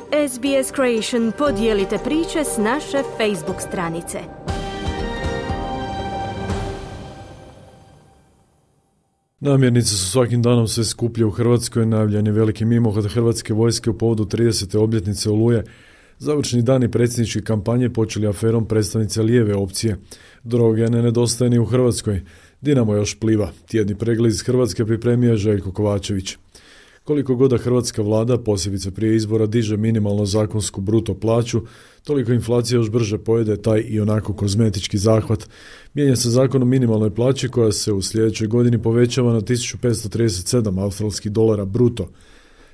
SBS Creation podijelite priče s naše Facebook stranice. Namirnice su svakim danom sve skuplje u Hrvatskoj. Najavljen je veliki mimohod Hrvatske vojske u povodu 30. obljetnice Oluje. Završni dani predsjedničke kampanje počeli aferom predstavnice lijeve opcije. Droge ne nedostaje ni u Hrvatskoj. Dinamo još pliva. Tjedni pregled iz Hrvatske pripremio je Željko Kovačević. Koliko god da hrvatska vlada, posebice prije izbora, diže minimalno zakonsku bruto plaću, toliko inflacija još brže pojede taj i onako kozmetički zahvat. Mijenja se zakon o minimalnoj plaći koja se u sljedećoj godini povećava na 1537 australskih dolara bruto.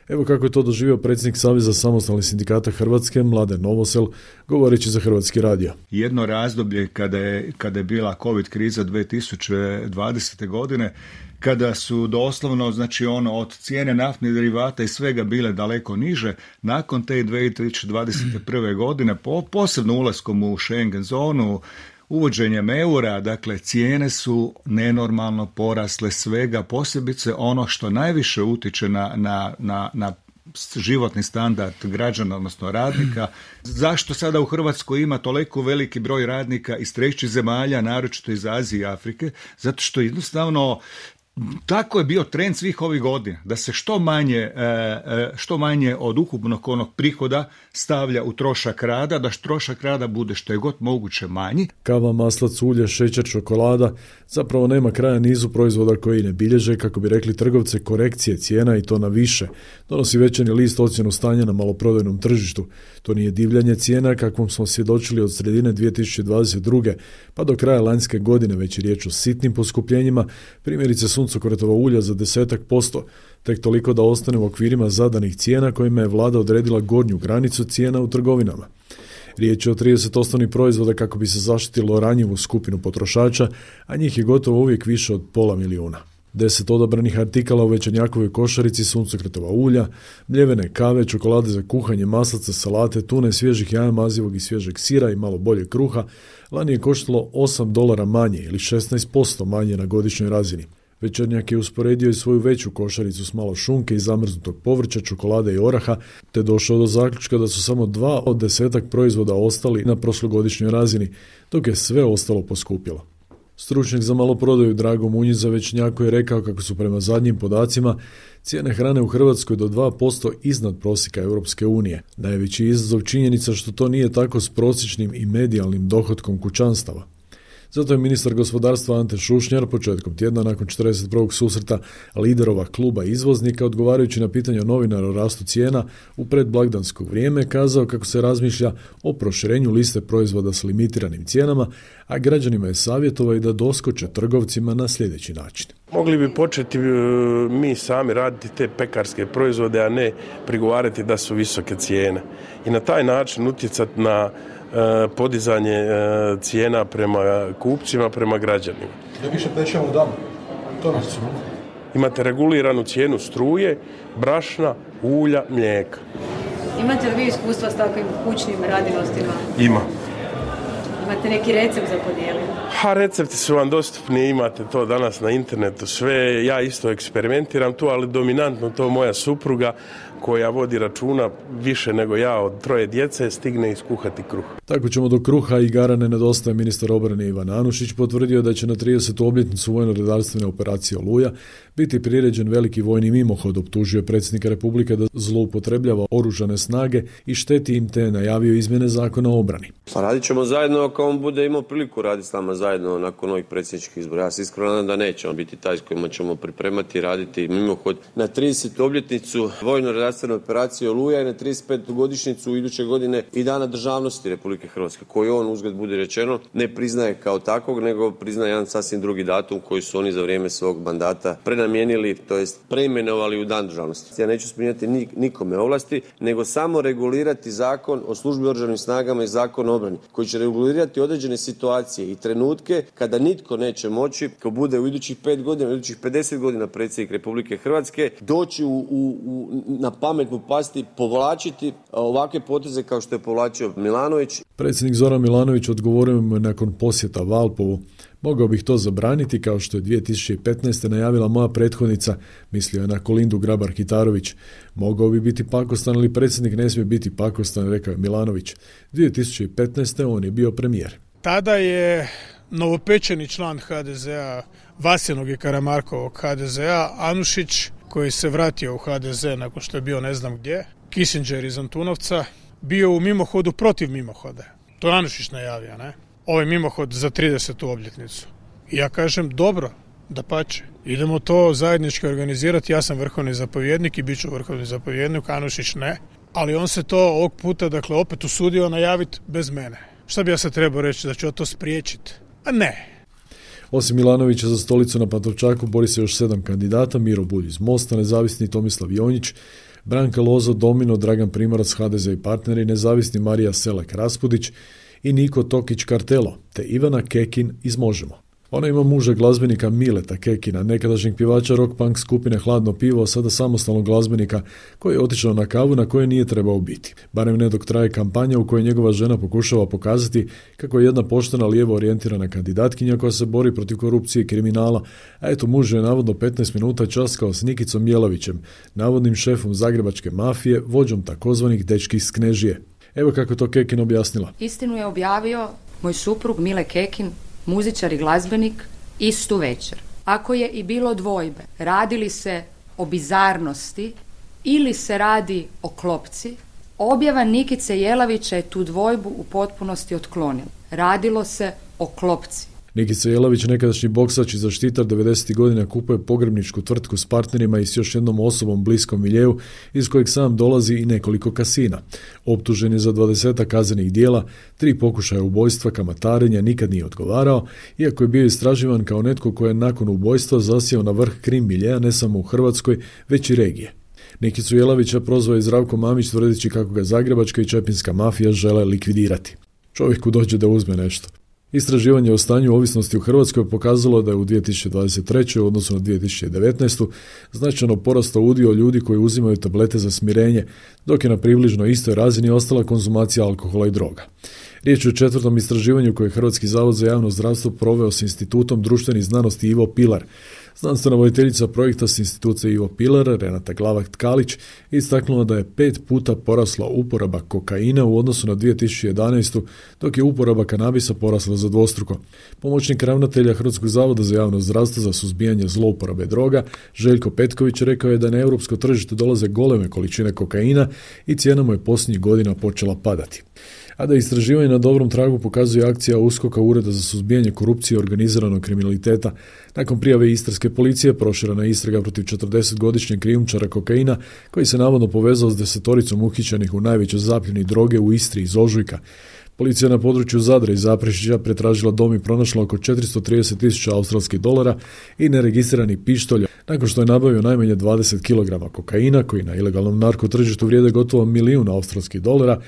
Evo kako je to doživio predsjednik Saveza samostalnih sindikata Hrvatske, Mladen Novosel, govoreći za Hrvatski radio. Jedno razdoblje kada je bila COVID kriza 2020. godine, kada su doslovno, od cijene naftnih derivata i svega bile daleko niže, nakon te 2021. godine, posebno ulaskom u Schengen zonu, uvođenjem eura, dakle, cijene su nenormalno porasle svega, posebice ono što najviše utiče na životni standard građana, odnosno radnika. Zašto sada u Hrvatskoj ima toliko veliki broj radnika iz trećih zemalja, naročito iz Azije i Afrike? Zato što jednostavno tako je bio trend svih ovih godina, da se što manje od ukupnog onog prihoda stavlja u trošak rada, da trošak rada bude što je god moguće manji. Kava, maslac, ulje, šećer, čokolada, zapravo nema kraja nizu proizvoda koji ne bilježe, kako bi rekli trgovce, korekcije cijena i to na više. Donosi Večernji list ocjenu stanja na maloprodajnom tržištu. To nije divljanje cijena kakvom smo svjedočili od sredine 2022. pa do kraja lanjske godine, već je riječ o sitnim poskupljenjima, primjerice suncokretova ulja za 10%, tek toliko da ostane u okvirima zadanih cijena kojima je vlada odredila gornju granicu cijena u trgovinama. Riječ je o 30 osnovnih proizvoda kako bi se zaštitilo ranjivu skupinu potrošača, a njih je gotovo uvijek više od 500.000. 10 odabranih artikala u Večernjakovoj košarici: suncokretova ulja, mljevene kave, čokolade za kuhanje, maslaca, salate, tune, svježih jaja, mazivog i svježeg sira i malo bolje kruha, lani je koštalo $8 manje ili 16% manje na godišnjoj razini. Večernjak je usporedio i svoju veću košaricu s malo šunke i zamrznutog povrća, čokolade i oraha, te došao do zaključka da su samo 2 od 10 proizvoda ostali na prošlogodišnjoj razini, dok je sve ostalo poskupjelo. Stručnjak za maloprodaju Drago Munjić za Večernjaku je rekao kako su prema zadnjim podacima cijene hrane u Hrvatskoj do 2% iznad prosjeka Europske unije. Najveći izazov činjenica što to nije tako s prosječnim i medijalnim dohotkom kućanstava. Zato je ministar gospodarstva Ante Šušnjar početkom tjedna nakon 41. susreta liderova kluba izvoznika, odgovarajući na pitanja novinara o rastu cijena u predblagdansko vrijeme, kazao kako se razmišlja o proširenju liste proizvoda s limitiranim cijenama, a građanima je savjetovao i da doskoče trgovcima na sljedeći način. Mogli bi početi mi sami raditi te pekarske proizvode, a ne prigovarati da su visoke cijene. I na taj način utjecati na podizanje cijena prema kupcima, prema građanima. Da više pečemo u danu. To nas smo. Imate reguliranu cijenu struje, brašna, ulja, mlijeka. Imate li vi iskustva s takvim kućnim radinostima? Ima. Imate neki recept za podijeliti? Recepti su vam dostupni, imate to danas na internetu sve. Ja isto eksperimentiram tu, ali dominantno to moja supruga koja vodi računa više nego ja od 3 djece stigne iskuhati kruh. Tako ćemo do kruha i igara ne nedostaje. Ministar obrane Ivan Anušić potvrdio da će na 30. obljetnicu vojno-redarstvene operacije Oluja biti priređen veliki vojni mimohod. Optužio je predsjednika Republike da zloupotrebljava oružane snage i šteti im, te najavio izmjene zakona o obrani. Pa radit ćemo zajedno ako on bude imao priliku raditi s nama zajedno nakon ovih predsjedničkih izbora. Ja se iskreno nadam da neće on biti taj s kojima ćemo pripremati i raditi mimohod na 30. obljetnicu vojno-redarstvene operacije Oluja i na 35. godišnjicu iduće godine i Dana državnosti Republike Hrvatske, koji on, uzgled budi rečeno, ne priznaje kao takvog, nego priznaje jedan sasvim drugi datum koji su oni za vrijeme svog mandata prenamijenili, to jest preimenovali u Dan državnosti. Ja neću spominjati nikome ovlasti, nego samo regulirati zakon o službi oružanim snagama i zakon o obrani, koji će regulirati određene situacije i trenutke kada nitko neće moći, ko bude u idućih 5 godina, u idućih 50 godina predsjednik Republike Hrvatske, doći na pamet mu pasti povlačiti ovakve poteze kao što je povlačio Milanović. Predsjednik Zoran Milanović odgovorio mu nakon posjeta Valpovu: mogao bih to zabraniti kao što je 2015. najavila moja prethodnica, mislio je na Kolindu Grabar-Kitarović. Mogao bi biti pakostan, ali predsjednik ne smije biti pakostan, rekao je Milanović. 2015. on je bio premijer. Tada je novopečeni član HDZ-a, Vasinog i Karamarkovog HDZ-a, Anušić, koji se vratio u HDZ nakon što je bio ne znam gdje, Kissinger iz Antunovca, bio u mimohodu protiv mimohoda. To je Anušić najavio, ne? Ovaj mimohod za 30. obljetnicu. I ja kažem, dobro, dapače, idemo to zajednički organizirati, ja sam vrhovni zapovjednik i bit ću vrhovni zapovjednik, Anušić ne, ali on se to ovog puta, dakle, opet usudio najaviti bez mene. Šta bi ja sad trebao reći, da ću to spriječiti? A ne. Osim Milanovića za stolicu na Pantovčaku bori se još 7 kandidata: Miro Bulj iz Mosta, nezavisni Tomislav Jonjić, Branka Lozo, Domino, Dragan Primorac, HDZ i partneri, nezavisni Marija Selek Raspudić i Niko Tokić Kartelo, te Ivana Kekin iz Možemo. Ona ima muža glazbenika Mileta Kekina, nekadašnjeg pjevača rock punk skupine Hladno pivo, a sada samostalnog glazbenika koji je otišao na kavu na kojoj nije trebao biti. Barem ne dok traje kampanja u kojoj njegova žena pokušava pokazati kako je jedna poštena lijevo orijentirana kandidatkinja koja se bori protiv korupcije i kriminala, a eto muž je navodno 15 minuta časkao s Nikicom Jelavićem, navodnim šefom zagrebačke mafije, vođom takozvanih dečki iz Knežije. Evo kako to Kekin objasnila. Istinu je objavio moj suprug Mile Kekin, muzičar i glazbenik, istu večer. Ako je i bilo dvojbe, radi li se o bizarnosti ili se radi o klopci, objava Nikice Jelavića je tu dvojbu u potpunosti otklonila. Radilo se o klopci. Nikica Jelavić, nekadašnji boksač i zaštitar 90. godina, kupuje pogrebničku tvrtku s partnerima i s još jednom osobom bliskom miljeu iz kojeg sam dolazi i nekoliko kasina. Optužen je za 20 kaznenih dijela, 3 pokušaja ubojstva, kamatarenja, nikad nije odgovarao, iako je bio istraživan kao netko koji je nakon ubojstva zasjeo na vrh krim miljea ne samo u Hrvatskoj, već i regije. Nikicu Jelavića prozvao je Zdravko Mamić tvrdeći kako ga zagrebačka i čepinska mafija žele likvidirati. Čovjeku dođe da uzme nešto. Istraživanje o stanju ovisnosti u Hrvatskoj pokazalo da je u 2023. u odnosu na 2019. značajno porastao udio ljudi koji uzimaju tablete za smirenje, dok je na približno istoj razini ostala konzumacija alkohola i droga. Riječ je o 4. istraživanju koje je Hrvatski zavod za javno zdravstvo proveo s Institutom društvenih znanosti Ivo Pilar. Znanstvena voditeljica projekta s Instituta Ivo Pilar, Renata Glavak-Tkalić, istaknula da je 5 puta porasla uporaba kokaina u odnosu na 2011. dok je uporaba kanabisa porasla za dvostruko. Pomoćnik ravnatelja Hrvatskog zavoda za javno zdravstvo za suzbijanje zlouporabe droga, Željko Petković, rekao je da na europsko tržište dolaze goleme količine kokaina i cijena mu je posljednjih godina počela padati. A da istraživanje na dobrom tragu pokazuje akcija USKOK-a, Ureda za suzbijanje korupcije i organiziranog kriminaliteta. Nakon prijave istarske policije proširena je istraga protiv 40-godišnjeg krijumčara kokaina koji se navodno povezao s 10 uhićenih u najvećoj zapljeni droge u Istri iz ožujka. Policija na području Zadra i Zaprešića pretražila dom i pronašla oko 430.000 australskih dolara i neregistrirani pištolj, nakon što je nabavio najmanje 20 kg kokaina koji na ilegalnom narkotržištu vrijede gotovo 1 milijun australskih dolara.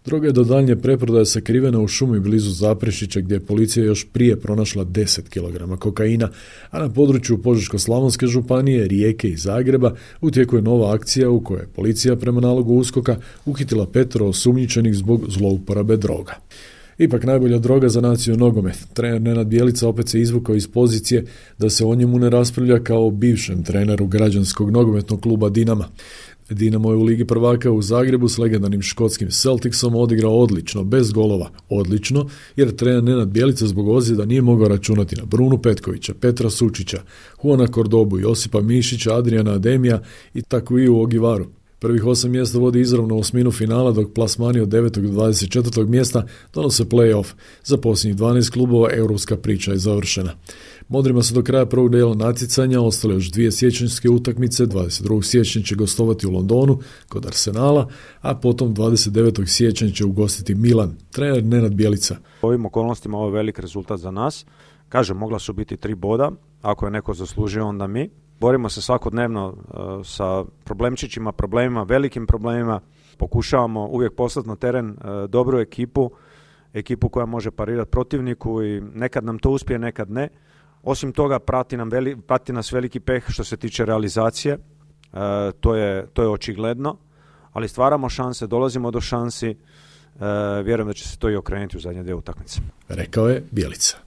Droga je do daljnje preprodaje sakrivena u šumi blizu Zaprešića gdje je policija još prije pronašla 10 kg kokaina, a na području Požeško-slavonske županije, Rijeke i Zagreba u tijeku je nova akcija u kojoj je policija prema nalogu USKOK-a uhitila 5 osumnjičenih zbog zlouporabe droga. Ipak najbolja droga za naciju nogomet. Trener Nenad Bjelica opet se izvukao iz pozicije da se o njemu ne raspravlja kao o bivšem treneru građanskog nogometnog kluba Dinama. Dinamo je u Ligi prvaka u Zagrebu s legendarnim škotskim Celticsom odigrao odlično, bez golova. Odlično, jer trener Nenad Bjelica zbog ozljeda nije mogao računati na Brunu Petkovića, Petra Sučića, Juana Kordobu, Josipa Mišića, Adriana Ademija i tako i u Ogivaru. Prvih 8 mjesta vodi izravno u osminu finala, dok plasmani od 9. do 24. mjesta donose play-off. Za posljednjih 12 klubova europska priča je završena. Modrima su do kraja prvog dijela natjecanja ostale još 2 siječanjske utakmice. 22. siječnja će gostovati u Londonu kod Arsenala, a potom 29. siječnja će ugostiti Milan. Trener Nenad Bjelica. U ovim okolnostima ovo je velik rezultat za nas. Kažem, mogla su biti 3 boda. Ako je neko zaslužio, onda mi. Borimo se svakodnevno sa problemčićima, problemima, velikim problemima. Pokušavamo uvijek poslati na teren dobru ekipu koja može parirati protivniku i nekad nam to uspije, nekad ne. Osim toga, prati nas veliki peh što se tiče realizacije. to je očigledno, ali stvaramo šanse, dolazimo do šansi, vjerujem da će se to i okrenuti u zadnje 2 utakmice. Rekao je Bjelica.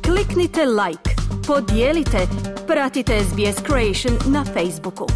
Kliknite like, podijelite, pratite SBS Creation na Facebooku.